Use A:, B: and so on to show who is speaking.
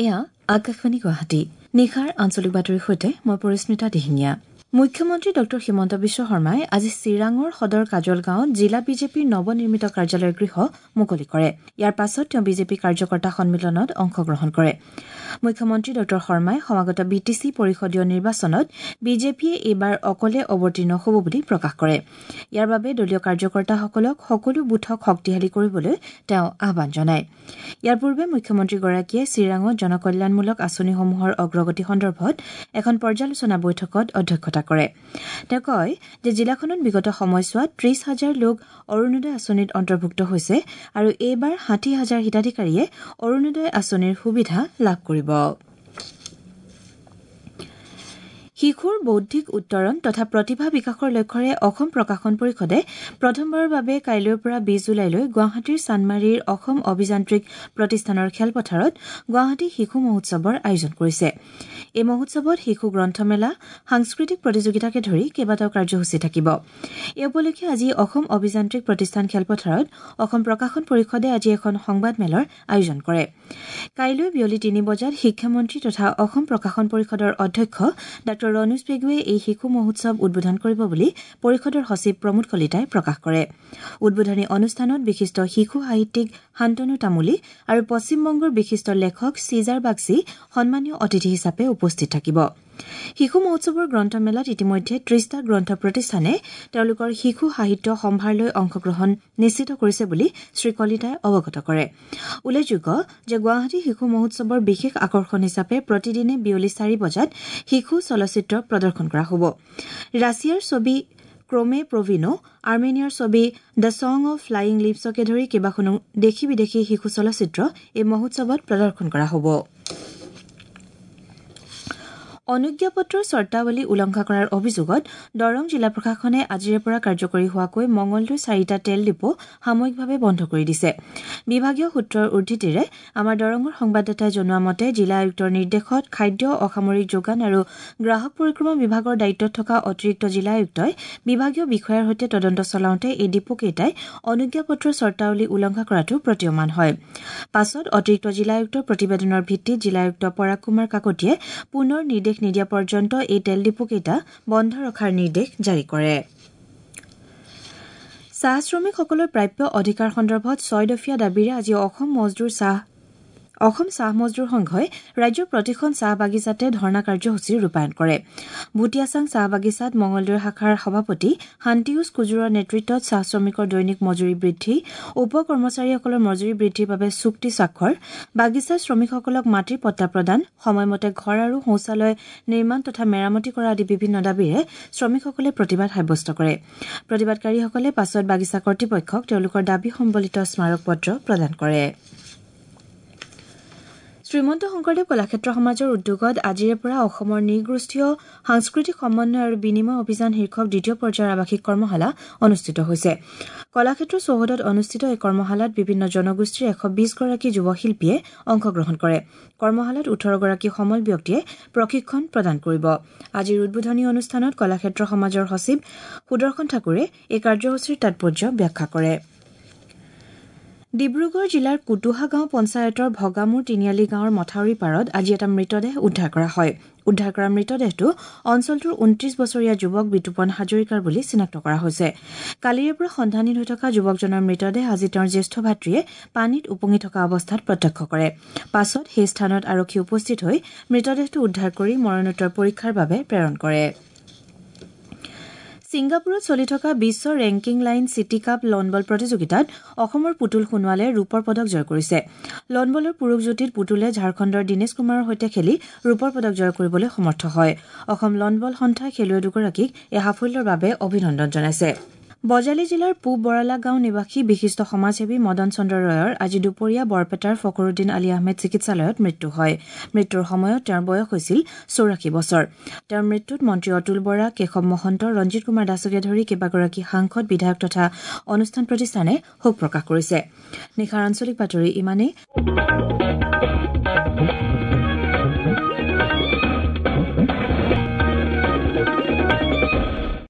A: এয়া আকাশবাণী গুৱাহাটী। নিশাৰ আঞ্চলিক বাতৰিৰ সৈতে মই পৰিস্মিতা দিহিঙীয়া। মুখ্যমন্ত্ৰী ডঃ হিমন্ত বিশ্ব শৰ্মাই আজি চিৰাঙৰ সদৰ কাজলগাঁৱত জিলা বিজেপিৰ নৱনিৰ্মিত কাৰ্যালয়ৰ গৃহ মুকলি কৰে। ইয়াৰ পাছত তেওঁ বিজেপি কাৰ্যকৰ্তা সন্মিলনত অংশগ্ৰহণ কৰে। মুখ্যমন্ত্ৰী ডঃ শৰ্মাই সমাগত বিটিচি পৰিষদীয় নিৰ্বাচনত বিজেপিয়ে এইবাৰ অকলে অৱতীৰ্ণ হ'ব বুলি প্ৰকাশ কৰে। ইয়াৰ বাবে দলীয় কাৰ্যকৰ্তাসকলক সকলো বুথক শক্তিশালী কৰিবলৈ তেওঁ আহ্বান জনায়। ইয়াৰ পূৰ্বে মুখ্যমন্ত্ৰীগৰাকীয়ে চিৰাঙত জনকল্যাণমূলক আঁচনিসমূহৰ অগ্ৰগতি সন্দৰ্ভত এখন পৰ্যালোচনা বৈঠকত অধ্যক্ষতা কৰে। তেওঁ কয় যে জিলাখনত বিগত সময়ছোৱাত ৩০ হাজাৰ লোক অৰুণোদয় আঁচনিত অন্তৰ্ভুক্ত হৈছে আৰু এইবাৰ ৬০ হাজাৰ হিতাধিকাৰীয়ে অৰুণোদয় আঁচনিৰ সুবিধা লাভ কৰিব। শিশুৰ বৌদ্ধিক উত্তৰণ তথা প্ৰতিভা বিকাশৰ লক্ষ্যৰে অসম প্ৰকাশন পৰিষদে প্ৰথমবাৰৰ বাবে কাইলৈৰ পৰা ২০ জুলাইলৈ গুৱাহাটীৰ চানমাৰীৰ অসম অভিযান্ত্ৰিক প্ৰতিষ্ঠানৰ খেলপথাৰত গুৱাহাটী শিশু মহোৎসৱৰ আয়োজন কৰিছে। এই মহোৎসৱত শিশু গ্ৰন্থমেলা, সাংস্কৃতিক প্ৰতিযোগিতাকে ধৰি কেইবাটাও কাৰ্যসূচী থাকিব। এই উপলক্ষে আজি অসম অভিযান্ত্ৰিক প্ৰতিষ্ঠান খেলপথাৰত অসম প্ৰকাশন পৰিষদে আজি এখন সংবাদমেলৰ আয়োজন কৰে। কাইলৈ বিয়লি ৩ বজাত শিক্ষামন্ত্ৰী তথা অসম প্ৰকাশন পৰিষদৰ অধ্যক্ষ ডাঃ ৰণোজ পেগুৱে এই শিশু মহোৎসৱ উদ্বোধন কৰিব বুলি পৰিষদৰ সচিব প্ৰমোদ কলিতাই প্ৰকাশ কৰে। উদ্বোধনী অনুষ্ঠানত বিশিষ্ট শিশু সাহিত্যিক শান্তনু তামুলী আৰু পশ্চিমবংগৰ বিশিষ্ট লেখক চিজাৰ বাগচি সন্মানীয় অতিথি হিচাপে উপস্থিত থাকিব। শিশু মহোৎসৱৰ গ্ৰন্থমেলাত ইতিমধ্যে ৩০টা গ্ৰন্থ প্ৰতিষ্ঠানে তেওঁলোকৰ শিশু সাহিত্য সম্ভাৰ লৈ অংশগ্ৰহণ নিশ্চিত কৰিছে বুলি শ্ৰীকলিতাই অৱগত কৰে। উল্লেখযোগ্য যে গুৱাহাটী শিশু মহোৎসৱৰ বিশেষ আকৰ্ষণ হিচাপে প্ৰতিদিনে বিয়লি ৪ বজাত শিশু চলচ্চিত্ৰ প্ৰদৰ্শন কৰা হ'ব। ৰাছিয়াৰ ছবি ক্ৰমে প্ৰভিনো, আৰ্মেনিয়াৰ ছবি the song of flying লিভছকে ধৰি কেইবাখনো দেশী বিদেশী শিশু চলচ্চিত্ৰ এই মহোৎসৱত প্ৰদৰ্শন কৰা হ'ব। অনুজ্ঞাপত্ৰৰ চৰ্তাৱলী উলংঘা কৰাৰ অভিযোগত দৰং জিলা প্ৰশাসনে আজিৰে পৰা কাৰ্যকৰী হোৱাকৈ মঙলদৈৰ ৪টা তেল ডিপো সাময়িকভাৱে বন্ধ কৰি দিছে। বিভাগীয় সূত্ৰৰ উদ্ধৃতিৰে আমাৰ দৰঙৰ সংবাদদাতাই জনোৱা মতে জিলা আয়ুক্তৰ নিৰ্দেশত খাদ্য, অসামৰিক যোগান আৰু গ্ৰাহক পৰিক্ৰমা বিভাগৰ দায়িত্বত থকা অতিৰিক্ত জিলা আয়ুক্তই বিভাগীয় বিষয়াৰ সৈতে তদন্ত চলাওঁতে এই ডিপোকেইটাই অনুজ্ঞাপত্ৰৰ চৰ্তাৱলী উলংঘা কৰাটো প্ৰতীয়মান হয়। পাছত অতিৰিক্ত জিলা আয়ুক্তৰ প্ৰতিবেদনৰ ভিত্তিত জিলা আয়ুক্ত পৰাগ কুমাৰ কাকতিয়ে পুনৰ নিৰ্দেশ নিদিয়া পৰ্যন্ত এই তেল ডিপোকেইটা বন্ধ ৰখাৰ নিৰ্দেশ জাৰি কৰে। চাহ শ্ৰমিকসকলৰ প্ৰাপ্য অধিকাৰ সন্দৰ্ভত ৬ দফীয়া দাবীৰে আজি অসম চাহ মজদুৰ সংঘই ৰাজ্যৰ প্ৰতিখন চাহ বাগিচাতে ধৰ্ণা কাৰ্যসূচী ৰূপায়ণ কৰে। ভুটীয়াচাং চাহ বাগিচাত মঙলদৈ শাখাৰ সভাপতি শান্তিউজ কুজুৰৰ নেতৃত্বত চাহ শ্ৰমিকৰ দৈনিক মজুৰি বৃদ্ধি, উপ কৰ্মচাৰীসকলৰ মজুৰি বৃদ্ধিৰ বাবে চুক্তি স্বাক্ষৰ, বাগিচাৰ শ্ৰমিকসকলক মাটিৰ পট্টা প্ৰদান, সময়মতে ঘৰ আৰু শৌচালয় নিৰ্মাণ তথা মেৰামতি কৰা আদি বিভিন্ন দাবীৰে শ্ৰমিকসকলে প্ৰতিবাদ সাব্যস্ত কৰে। প্ৰতিবাদকাৰীসকলে পাছত বাগিচা কৰ্তৃপক্ষক তেওঁলোকৰ দাবী সম্বলিত স্মাৰক পত্ৰ প্ৰদান কৰে। শ্ৰীমন্ত শংকৰদেৱ কলাক্ষেত্ৰ সমাজৰ উদ্যোগত আজিৰে পৰা অসমৰ নৃগোষ্ঠীয় সাংস্কৃতিক সমন্বয় আৰু বিনিময় অভিযান শীৰ্ষক দ্বিতীয় পৰ্যায়ৰ আৱাসিক কৰ্মশালা অনুষ্ঠিত হৈছে। কলাক্ষেত্ৰ চৌহদত অনুষ্ঠিত এই কৰ্মশালাত বিভিন্ন জনগোষ্ঠীৰ ১২০ গৰাকী যুৱ শিল্পীয়ে অংশগ্ৰহণ কৰে। কৰ্মশালাত ১৮ গৰাকী সমল ব্যক্তিয়ে প্ৰশিক্ষণ প্ৰদান কৰিব। আজিৰ উদ্বোধনী অনুষ্ঠানত কলাক্ষেত্ৰ সমাজৰ সচিব সুদৰ্শন ঠাকুৰে এই কাৰ্যসূচীৰ তাৎপৰ্য ব্যাখ্যা কৰে। ডিব্ৰুগড় জিলাৰ কুটুহা গাঁও পঞ্চায়তৰ ভগামূৰ তিনিআলি গাঁৱৰ মথাউৰি পাৰত আজি এটা মৃতদেহ উদ্ধাৰ কৰা হয়। উদ্ধাৰ কৰা মৃতদেহটো অঞ্চলটোৰ ২৯ বছৰীয়া যুৱক বিতুপন হাজৰিকাৰ বুলি চিনাক্ত কৰা হৈছে। কালিৰে পৰা সন্ধানহীন হৈ থকা যুৱকজনৰ মৃতদেহ আজি তেওঁৰ জ্যেষ্ঠ ভাতৃয়ে পানীত উপঙি থকা অৱস্থাত প্ৰত্যক্ষ কৰে। পাছত সেই স্থানত আৰক্ষী উপস্থিত হৈ মৃতদেহটো উদ্ধাৰ কৰি মৰণোত্তৰ পৰীক্ষাৰ বাবে প্ৰেৰণ কৰে। ছিংগাপুৰত চলি থকা বিশ্ব ranking line city cup lawn ball প্ৰতিযোগিতাত অসমৰ পুতুল সোণোৱালে ৰূপৰ পদক জয় কৰিছে। লনবলৰ পুৰুষ যুটীত পুতুলে ঝাৰখণ্ডৰ দীনেশ কুমাৰৰ সৈতে খেলি ৰূপৰ পদক জয় কৰিবলৈ সমৰ্থ হয়। অসম লনবল সন্থাই খেলুৱৈ দুগৰাকীক এই সাফল্যৰ বাবে অভিনন্দন জনাইছে। বজালী জিলাৰ পূব বৰালা গাঁও নিবাসী বিশিষ্ট সমাজসেৱী মদন চন্দ্ৰ ৰয়ৰ আজি দুপৰীয়া বৰপেটাৰ ফকৰুদ্দিন আলী আহমেদ চিকিৎসালয়ত মৃত্যু হয়। মৃত্যুৰ সময়ত তেওঁৰ বয়স হৈছিল ৮৪ বছৰ। তেওঁৰ মৃত্যুত মন্ত্ৰী অতুল বৰা, কেশৱ মহন্ত, ৰঞ্জিত কুমাৰ দাসকে ধৰি কেইবাগৰাকী সাংসদ, বিধায়ক তথা অনুষ্ঠান প্ৰতিষ্ঠানে শোক প্ৰকাশ কৰিছে। নিশাৰ আঞ্চলিক বাতৰি ইমানেই।